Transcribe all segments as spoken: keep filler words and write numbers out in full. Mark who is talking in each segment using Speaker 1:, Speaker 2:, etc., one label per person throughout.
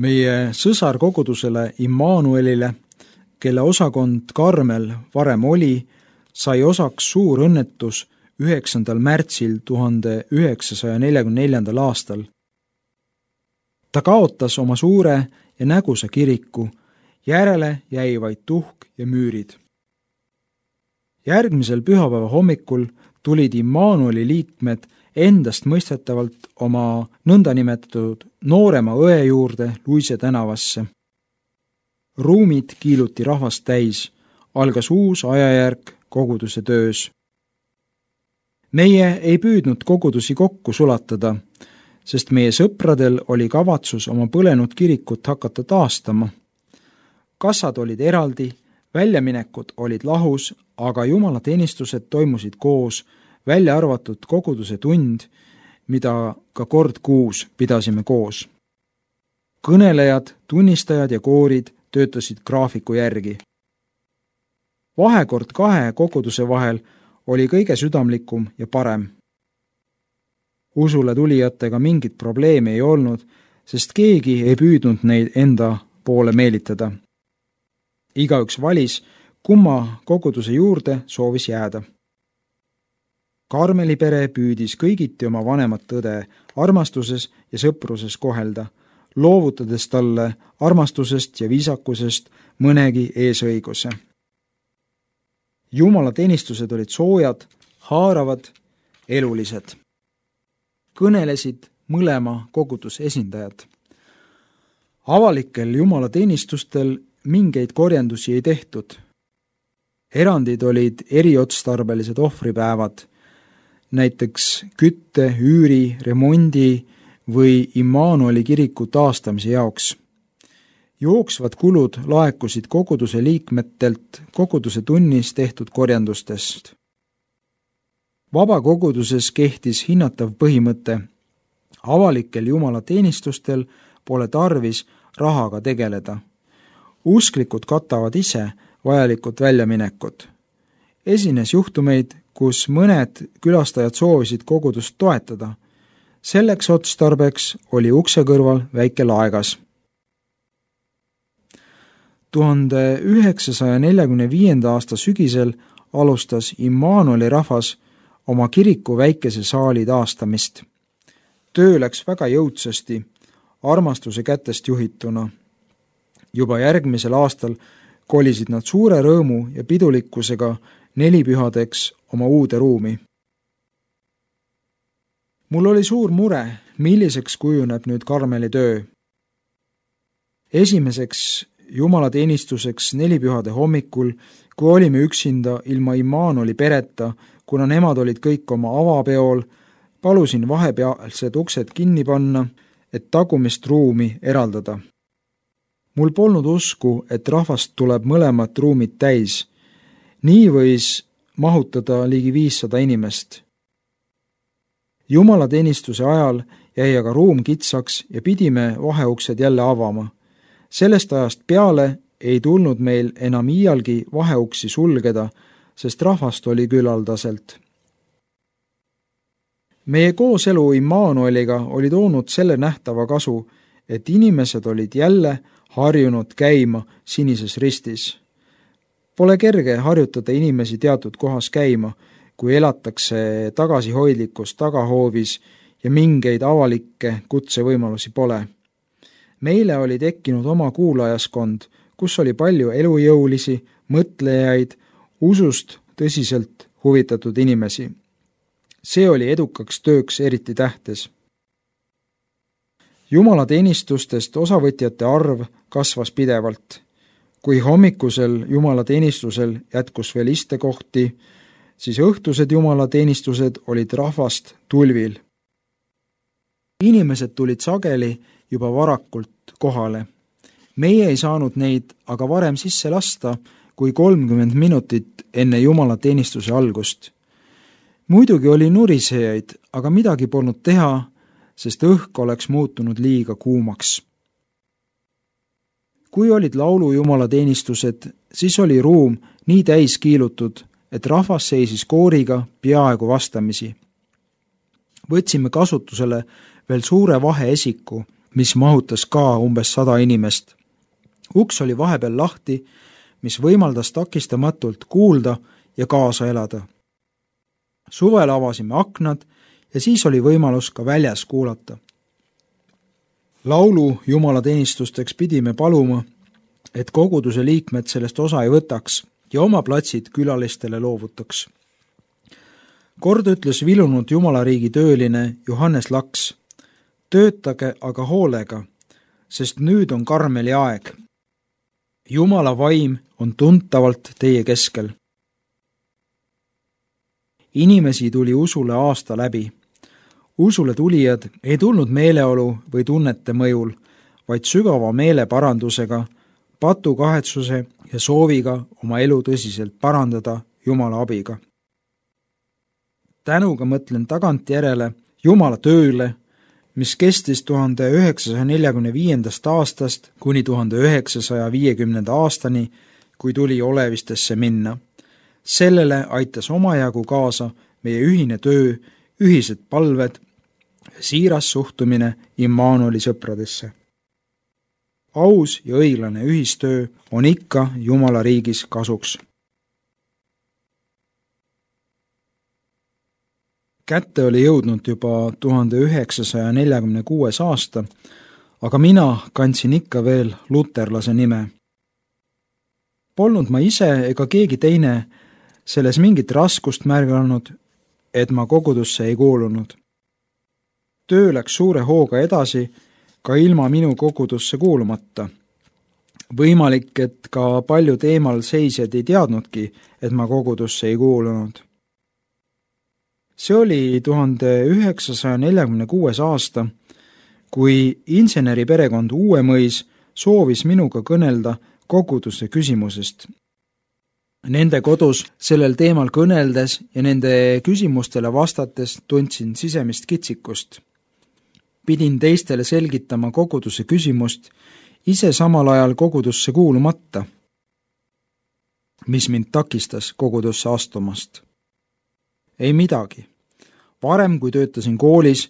Speaker 1: Meie sõsarkogudusele Immanuelile, kelle osakond Karmel varem oli, sai osaks suur õnnetus üheksandal märtsil tuhande üheksasaja neljakümne neljandal aastal. Ta kaotas oma suure ja nägusa kiriku, järele jäi vaid tuhk ja müürid. Järgmisel pühapäeva hommikul tulid Immanueli liikmed endast mõistetavalt oma nõndanimetatud noorema õe juurde Luise tänavasse. Ruumid kiiluti rahvast täis, algas uus ajajärk koguduse töös. Meie ei püüdnud kogudusi kokku sulatada, sest meie sõpradel oli kavatsus oma põlenud kirikut hakata taastama. Kassad olid eraldi, väljaminekud olid lahus, aga jumalateenistused toimusid koos, välja arvatud koguduse tund, mida ka kord kuus pidasime koos. Kõnelejad, tunnistajad ja koorid töötasid graafiku järgi. Vahekord kahe koguduse vahel oli kõige südamlikum ja parem. Usule tulijatega mingit probleemi ei olnud, sest keegi ei püüdnud neid enda poole meelitada. Igaüks valis, kumma koguduse juurde soovis jääda. Karmeli pere püüdis kõigiti oma vanemat õde armastuses ja sõpruses kohelda, loovutades talle armastusest ja viisakusest mõnegi eesõiguse. Jumala teenistused olid soojad, haaravad, elulised. Kõnelesid mõlema koguduse esindajad. Avalikel Jumala teenistustel mingeid korjandusi ei tehtud. Erandid olid eriotstarbelised ohvripäevad, näiteks kütte, üüri, remondi või Immanueli kiriku taastamise jaoks. Jooksvad kulud laekusid koguduse liikmetelt koguduse tunnis tehtud korjandustest. Vabakoguduses kehtis hinnatav põhimõte. Avalikel Jumala teenistustel pole tarvis rahaga tegeleda. Usklikud katavad ise vajalikud väljaminekud. Esines juhtumeid, kus mõned külastajad soovisid kogudust toetada. Selleks otstarbeks oli ukse kõrval väike laegas. tuhande üheksasaja neljakümne viienda aasta sügisel alustas Immanueli rahvas oma kiriku väikese saali taastamist. Töö läks väga jõudsasti, armastuse kätest juhituna. Juba järgmisel aastal kolisid nad suure rõõmu ja pidulikkusega nelipühadeks oma uude ruumi. Mul oli suur mure, milliseks kujuneb nüüd Karmeli töö. Esimeseks jumalateenistuseks nelipühade hommikul, kui olime üksinda ilma Immanueli pereta, kuna nemad olid kõik oma avapeol, palusin vahepealsed uksed kinni panna, et tagumist ruumi eraldada. Mul polnud usku, et rahvast tuleb mõlemat ruumid täis. Nii võis mahutada ligi viissada inimest. Jumalateenistuse ajal jäi aga ruum kitsaks ja pidime vaheuksed jälle avama. Sellest ajast peale ei tulnud meil enam iialgi vaheuksi sulgeda, sest rahvast oli küllaldaselt. Meie kooselu Immanueliga oli toonud selle nähtava kasu, et inimesed olid jälle harjunud käima sinises ristis. Pole kerge harjutada inimesi teatud kohas käima, kui elatakse tagasihoidlikus tagahoovis ja mingeid avalikke kutsevõimalusi pole. Meile oli tekkinud oma kuulajaskond, kus oli palju elujõulisi, mõtlejaid, usust tõsiselt huvitatud inimesi. See oli edukaks tööks eriti tähtes. Jumalateenistustest osavõtjate arv kasvas pidevalt. Kui hommikusel jumalateenistusel jätkus veel istekohti, siis õhtused jumalateenistused olid rahvast tulvil. Inimesed tulid sageli juba varakult kohale. Meie ei saanud neid aga varem sisse lasta kui kolmkümmend minutit enne jumalateenistuse algust. Muidugi oli nurisejaid, aga midagi polnud teha, sest õhk oleks muutunud liiga kuumaks. Kui olid laulu jumalateenistused, siis oli ruum nii täis kiilutud, et rahvas seisis kooriga peaaegu vastamisi. Võtsime kasutusele veel suure vaheesiku, mis mahutas ka umbes sada inimest. Uks oli vahepeal lahti, mis võimaldas takistamatult kuulda ja kaasa elada. Suvel avasime aknad ja siis oli võimalus ka väljas kuulata. Laulu jumalateenistusteks pidime paluma, et koguduse liikmed sellest osa ei võtaks ja oma platsid külalistele loovutaks. Kord ütles vilunud jumalariigi tööline Johannes Laks: töötage aga hoolega, sest nüüd on Karmeli aeg. Jumala vaim on tuntavalt teie keskel. Inimesi tuli usule aasta läbi. Usule tulijad ei tulnud meeleolu või tunnete mõjul, vaid sügava meeleparandusega, patukahetsuse ja sooviga oma elu tõsiselt parandada Jumala abiga. Tänuga mõtlen tagantjärele Jumala tööle, mis kestis tuhande üheksasaja neljakümne viiendast aastast kuni tuhande üheksasaja viiekümnenda aastani, kui tuli Olevistesse minna. Sellele aitas omajagu kaasa meie ühine töö, ühised palved, siiras suhtumine Immanueli sõpradesse. Aus ja õiglane ühistöö on ikka Jumala riigis kasuks. Kätte oli jõudnud juba tuhande üheksasaja neljakümne kuues aasta, aga mina kandsin ikka veel luterlase nime. Polnud ma ise ega keegi teine selles mingit raskust märganud, et ma kogudusse ei kuulunud. Töö läks suure hooga edasi ka ilma minu kogudusse kuulumata. Võimalik, et ka paljud eemal seisjad ei teadnudki, et ma kogudusse ei kuulunud. See oli tuhande üheksasaja neljakümne kuues aasta, kui inseneri perekond Uuemõis soovis minuga kõnelda koguduse küsimusest. Nende kodus sellel teemal kõneldes ja nende küsimustele vastates tundsin sisemist kitsikust. Pidin teistele selgitama koguduse küsimust, ise samal ajal kogudusse kuulumata, mis mind takistas kogudusse astumast. Ei midagi. Varem, kui töötasin koolis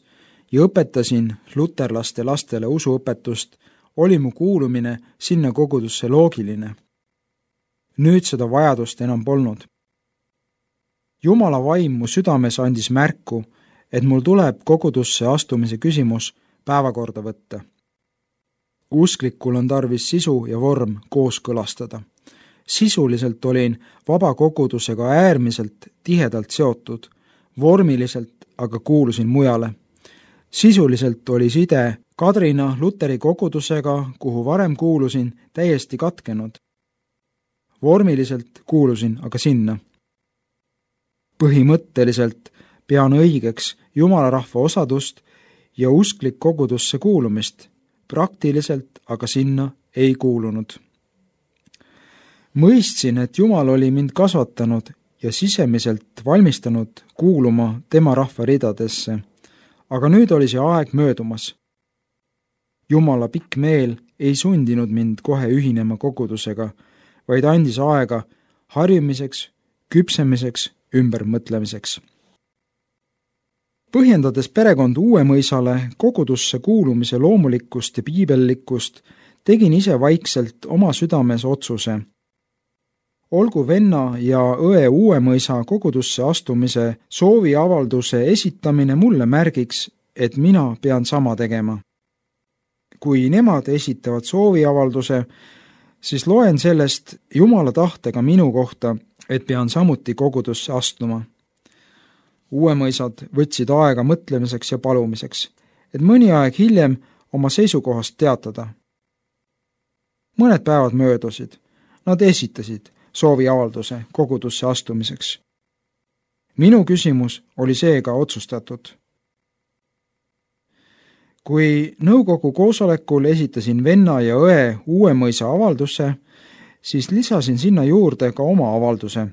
Speaker 1: ja õpetasin luterlaste lastele usuõpetust, oli mu kuulumine sinna kogudusse loogiline. Nüüd seda vajadust enam polnud. Jumala vaim mu südames andis märku, et mul tuleb kogudusse astumise küsimus päevakorda võtta. Usklikul on tarvis sisu ja vorm kooskõlastada. Sisuliselt olin vaba kogudusega äärmiselt tihedalt seotud, vormiliselt aga kuulusin mujale. Sisuliselt oli side Kadrina Luteri kogudusega, kuhu varem kuulusin, täiesti katkenud. Vormiliselt kuulusin aga sinna. Põhimõtteliselt pean õigeks Jumala rahva osadust ja usklik kogudusse kuulumist, praktiliselt aga sinna ei kuulunud. Mõistsin, et Jumal oli mind kasvatanud ja sisemiselt valmistanud kuuluma tema rahva ridadesse, aga nüüd oli see aeg möödumas. Jumala pikk meel ei sundinud mind kohe ühinema kogudusega, vaid andis aega harjumiseks, küpsemiseks, ümbermõtlemiseks. Põhjendades perekond Uuemõisale kogudusse kuulumise loomulikkust ja piibellikkust, tegin ise vaikselt oma südames otsuse. Olgu venna ja õe Uuemõisa kogudusse astumise sooviavalduse esitamine mulle märgiks, et mina pean sama tegema. Kui nemad esitavad sooviavalduse, siis loen sellest Jumala tahtega minu kohta, et pean samuti kogudusse astuma. Uuemõisad võtsid aega mõtlemiseks ja palumiseks, et mõni aeg hiljem oma seisukohast teatada. Mõned päevad möödusid. Nad esitasid sooviavalduse kogudusse astumiseks. Minu küsimus oli seega otsustatud. Kui nõukogu koosolekul esitasin venna ja õe Uuemõisa avalduse, siis lisasin sinna juurde ka oma avalduse.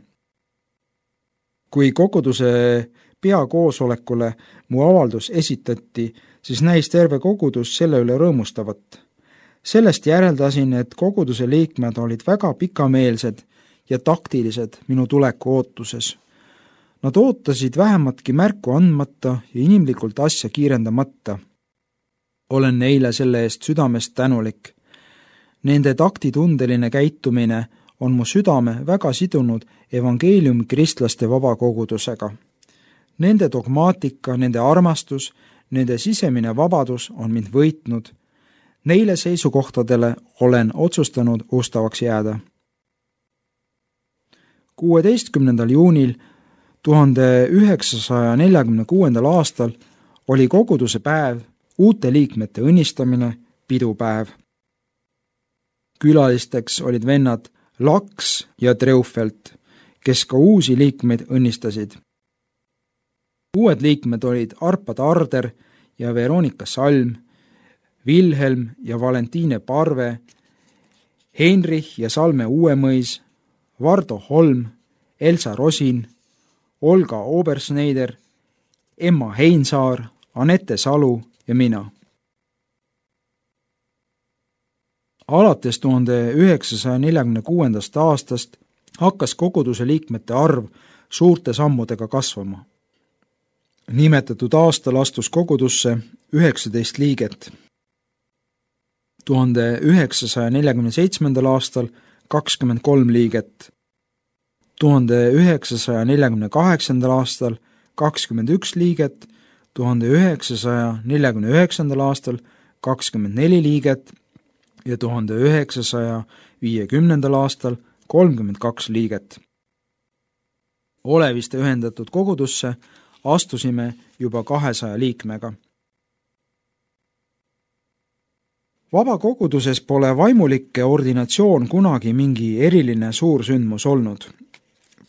Speaker 1: Kui koguduse peakoosolekule mu avaldus esitati, siis näis terve kogudus selle üle rõõmustavat. Sellest järeldasin, et koguduse liikmed olid väga pikameelsed ja taktilised minu tuleku ootuses. Nad ootasid vähematki märku andmata ja inimlikult asja kiirendamata. olen neile selle eest südamest tänulik. Nende taktitundeline käitumine on mu südame väga sidunud evangeeliumi kristlaste vabakogudusega. Nende dogmaatika, nende armastus, nende sisemine vabadus on mind võitnud. Neile seisukohtadele olen otsustanud ustavaks jääda. kuueteistkümnendal juunil tuhande üheksasaja neljakümne kuuendal aastal oli koguduse päev, uute liikmete õnnistamine, pidupäev. Külalisteks olid vennad Laks ja Treufelt, kes ka uusi liikmeid õnnistasid. Uued liikmed olid Arpa Tarder ja Veronika Salm, Vilhelm ja Valentiine Parve, Heinrich ja Salme Uuemõis, Vardo Holm, Elsa Rosin, Olga Obersneider, Emma Heinsaar, Anette Salu ja mina. Alates tuhande üheksasaja neljakümne kuuendast aastast hakkas koguduse liikmete arv suurte sammudega kasvama. Nimetatud aastal astus kogudusse üheksateist liiget. tuhande üheksasaja neljakümne seitsmendal aastal kakskümmend kolm liiget. tuhande üheksasaja neljakümne kaheksandal aastal kakskümmend üks liiget, tuhande üheksasaja neljakümne üheksandal aastal kakskümmend neli liiget ja tuhande üheksasaja viiekümnendal aastal kolmkümmend kaks liiget. Oleviste ühendatud kogudusse astusime juba kahesaja liikmega. Vabakoguduses pole vaimulike ordinatsioon kunagi mingi eriline suursündmus olnud.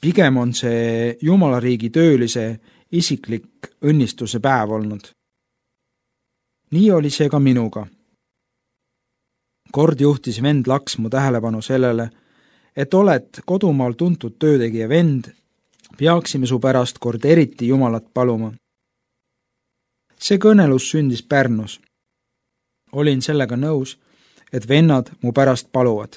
Speaker 1: Pigem on see Jumalariigi töölise isiklik õnnistuse päev olnud. Nii oli see ka minuga. Kord juhtis vend Laks mu tähelepanu sellele, et oled kodumaal tuntud töötegija vend, peaksime su pärast kord eriti Jumalat paluma. See kõnelus sündis Pärnus. Olin sellega nõus, et vennad mu pärast paluvad.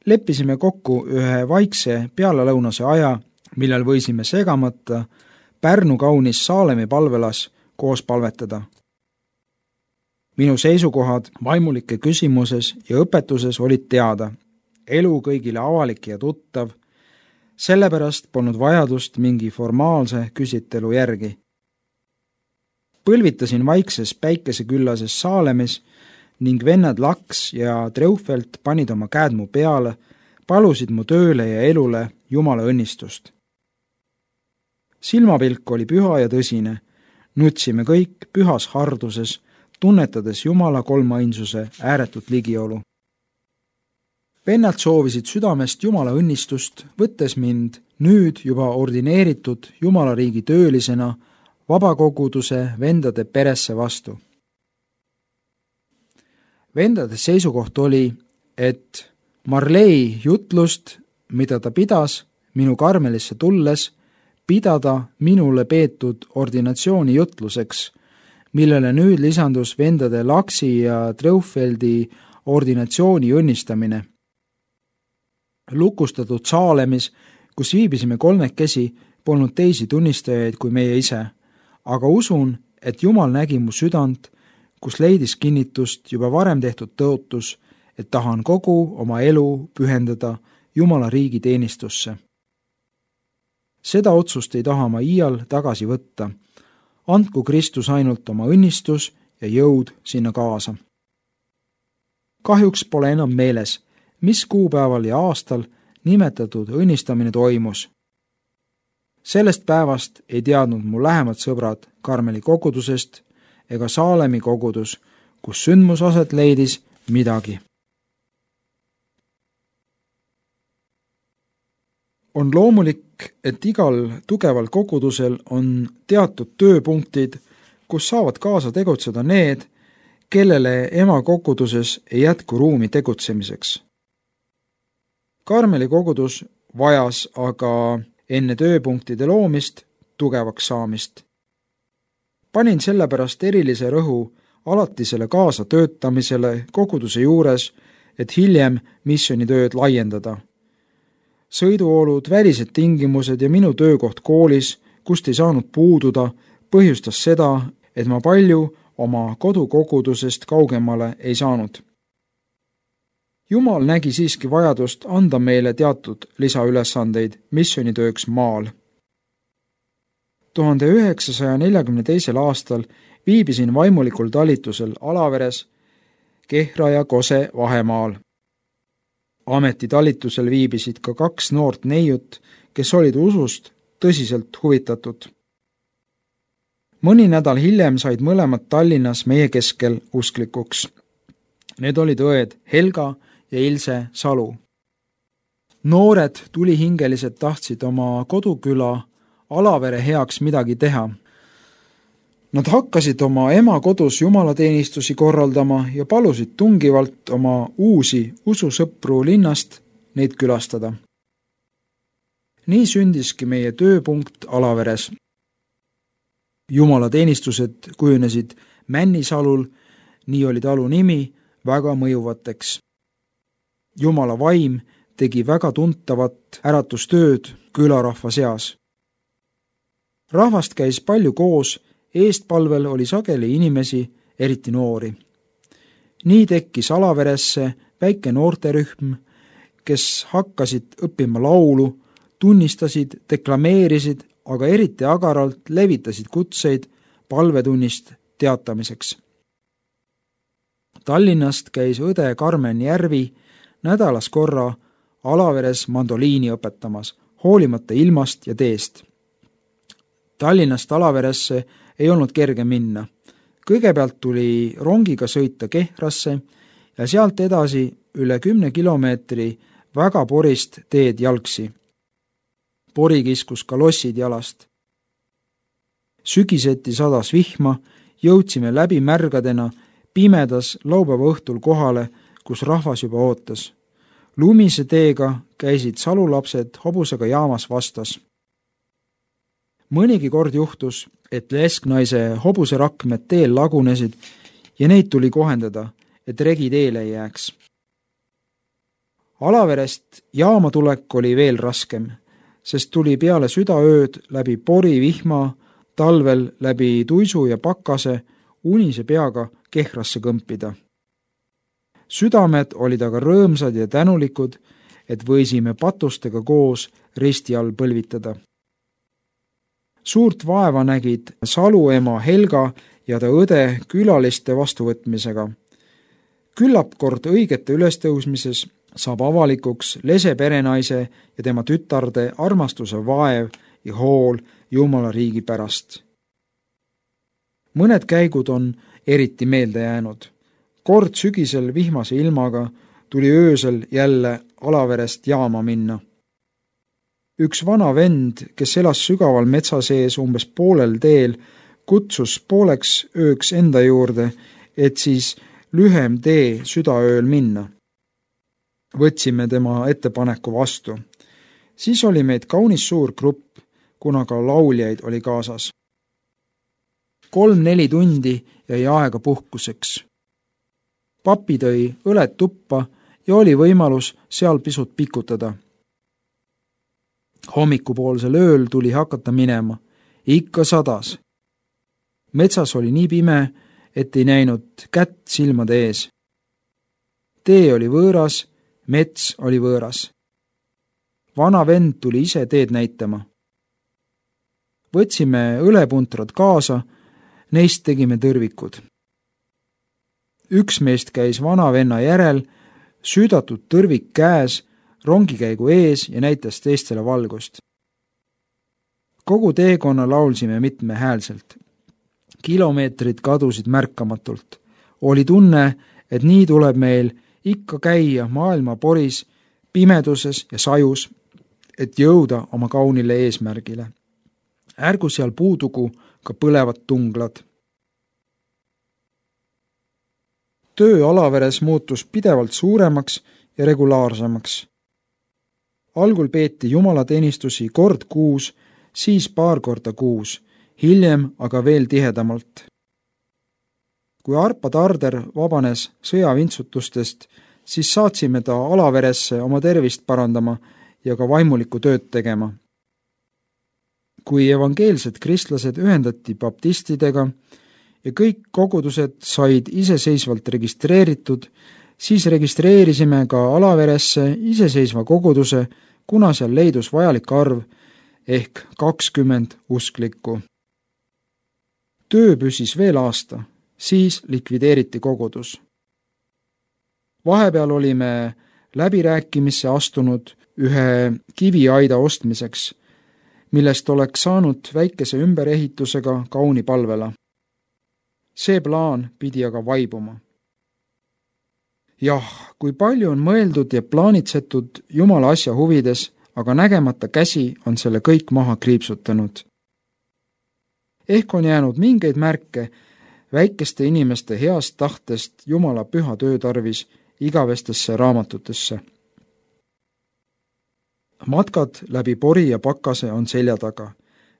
Speaker 1: Leppisime kokku ühe vaikse pealelõunase aja, millal võisime segamata Pärnu kaunis Saalemi palvelas koos palvetada. Minu seisukohad vaimulike küsimuses ja õpetuses olid teada. Elu kõigile avalik ja tuttav, sellepärast polnud vajadust mingi formaalse küsitelu järgi. Põlvitasin vaikses päikeseküllases Saalemis ning vennad Laks ja Treufelt panid oma käed mu peale, palusid mu tööle ja elule Jumala õnnistust. Silmapilk oli püha ja tõsine, nutsime kõik pühas harduses, tunnetades Jumala kolmainsuse ääretut ligiolu. Vennad soovisid südamest Jumala õnnistust, võttes mind nüüd juba ordineeritud Jumalariigi töölisena vabakoguduse vendade peresse vastu. Vendade seisukoht oli, et Marlei jutlust, mida ta pidas minu Karmelisse tulles, pidada minule peetud ordinatsiooni jutluseks, millele nüüd lisandus vendade Laksi ja Treufeldi ordinatsiooni õnnistamine. Lukustatud Saalemis, kus viibisime kolmekesi, polnud teisi tunnistajaid kui meie ise, aga usun, et Jumal nägi mu südant, kus leidis kinnitust juba varem tehtud tõotus, et tahan kogu oma elu pühendada Jumala riigi teenistusse. Seda otsust ei taha ma iial tagasi võtta. Andku Kristus ainult oma õnnistus ja jõud sinna kaasa. Kahjuks pole enam meeles, mis kuupäeval ja aastal nimetatud õnnistamine toimus. Sellest päevast ei teadnud mu lähemad sõbrad Karmeli kogudusest ega Saalemi kogudus, kus sündmus aset leidis, midagi. On loomulik, et igal tugeval kogudusel on teatud tööpunktid, kus saavad kaasa tegutseda need, kellele ema koguduses ei jätku ruumi tegutsemiseks. Karmeli kogudus vajas aga enne tööpunktide loomist tugevaks saamist. Panin sellepärast erilise rõhu alatisele kaasa töötamisele koguduse juures, et hiljem missioonitööd laiendada. Sõiduolud, välised tingimused ja minu töökoht koolis, kust ei saanud puududa, põhjustas seda, et ma palju oma kodukogudusest kaugemale ei saanud. Jumal nägi siiski vajadust anda meile teatud lisaülesandeid missioonitööks maal. tuhande üheksasaja neljakümne teisel aastal viibisin vaimulikul talitusel Alaveres, Kehra ja Kose vahemaal. Ametitalitusel viibisid ka kaks noort neiut, kes olid usust tõsiselt huvitatud. Mõni nädal hiljem said mõlemad Tallinnas meie keskel usklikuks. Need olid õed Helga ja Ilse Salu. Noored tulihingelised tahtsid oma koduküla Alavere heaks midagi teha. Nad hakkasid oma ema kodus jumalateenistusi korraldama ja palusid tungivalt oma uusi ususõpru linnast neid külastada. Nii sündiski meie tööpunkt Alaveres. Jumalateenistused kujunesid Männisalul, nii oli talu nimi, väga mõjuvateks. Jumala vaim tegi väga tuntavat äratustööd külarahva seas. Rahvast käis palju koos, eestpalvel oli sageli inimesi, eriti noori. Nii tekkis Alaveresse väike noorterühm, kes hakkasid õppima laulu, tunnistasid, deklameerisid, aga eriti agaralt levitasid kutseid palvetunnist teatamiseks. Tallinnast käis õde Karmen Järvi nädalas korra Alaveres mandoliini õpetamas, hoolimata ilmast ja teest. Tallinnast Alaveresse ei olnud kerge minna. Kõigepealt tuli rongiga sõita Kehrasse ja sealt edasi üle kümne kilomeetri väga porist teed jalgsi. Pori kiskus kalossid jalast. Sügiseti sadas vihma, jõudsime läbi märgadena pimedas laupäeva õhtul kohale, kus rahvas juba ootas. Lumise teega käisid salulapsed hobusega jaamas vastas. Mõnigi kord juhtus, et lesknaise hobuserakmed teel lagunesid ja neid tuli kohendada, et regi teele ei jääks. Alaverest jaama tulek oli veel raskem, sest tuli peale südaööd läbi pori vihma, talvel läbi tuisu ja pakase unise peaga Kehrasse kõmpida. Südamed olid aga rõõmsad ja tänulikud, et võisime patustega koos risti all põlvitada. Suurt vaeva nägid Salu ema Helga ja ta õde külaliste vastuvõtmisega. Küllap kord õigete ülestõusmises saab avalikuks lese perenaise ja tema tütarde armastuse vaev ja hool Jumala riigi pärast. Mõned käigud on eriti meelde jäänud. Kord sügisel vihmase ilmaga tuli öösel jälle Alaverest jaama minna. Üks vana vend, kes elas sügaval metsa sees umbes poolel teel, kutsus pooleks ööks enda juurde, et siis lühem tee südaööl minna. Võtsime tema ettepaneku vastu. Siis oli meid kaunis suur grupp, kuna ka lauljaid oli kaasas. Kolm-neli tundi jäi aega puhkuseks. Papi tõi õled tuppa ja oli võimalus seal pisut pikutada. Hommikupoolsel ööl tuli hakata minema. Ikka sadas. Metsas oli nii pime, et ei näinud kätt silmade ees. Tee oli võõras, mets oli võõras. Vana vend tuli ise teed näitama. Võtsime õlepuntrad kaasa, neist tegime tõrvikud. Üks meest käis vana venna järel, süüdatud tõrvik käes, rongikäigu ees ja näitas teistele valgust. Kogu teekonna laulsime mitmehäälselt. Kilomeetrid kadusid märkamatult. Oli tunne, et nii tuleb meil ikka käia maailma poris, pimeduses ja sajus, et jõuda oma kaunile eesmärgile. Ärgu seal puudugu ka põlevad tunglad. Töö Alaveres muutus pidevalt suuremaks ja regulaarsemaks. Algul peeti jumalateenistusi kord kuus, siis paar korda kuus, hiljem aga veel tihedamalt. Kui Arpa Tarder vabanes sõjavintsutustest, siis saatsime ta Alaveresse oma tervist parandama ja ka vaimulikku tööd tegema. Kui evangeelsed kristlased ühendati baptistidega ja kõik kogudused said iseseisvalt registreeritud, siis registreerisime ka Alaveresse iseseisva koguduse, kuna seal leidus vajalik arv ehk kakskümmend usklikku. Töö püsis veel aasta, siis likvideeriti kogudus. Vahepeal olime läbirääkimisse astunud ühe kiviaida ostmiseks, millest oleks saanud väikese ümberehitusega kauni palvela. See plaan pidi aga vaibuma. Jah, kui palju on mõeldud ja plaanitsetud Jumala asja huvides, aga nägemata käsi on selle kõik maha kriipsutanud. Ehk on jäänud mingeid märke väikeste inimeste heast tahtest Jumala püha töö tarvis igavestesse raamatutesse. Matkad läbi pori ja pakase on selja taga.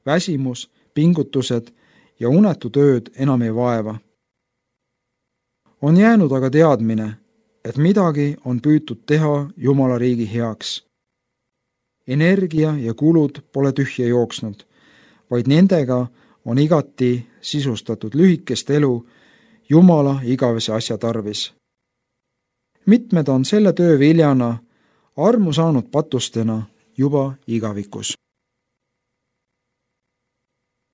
Speaker 1: Väsimus, pingutused ja unetu tööd enam ei vaeva. On jäänud aga teadmine, et midagi on püütud teha Jumala riigi heaks. Energia ja kulud pole tühja jooksnud, vaid nendega on igati sisustatud lühikest elu Jumala igavese asja tarvis. Mitmed on selle töö viljana armu saanud patustena juba igavikus.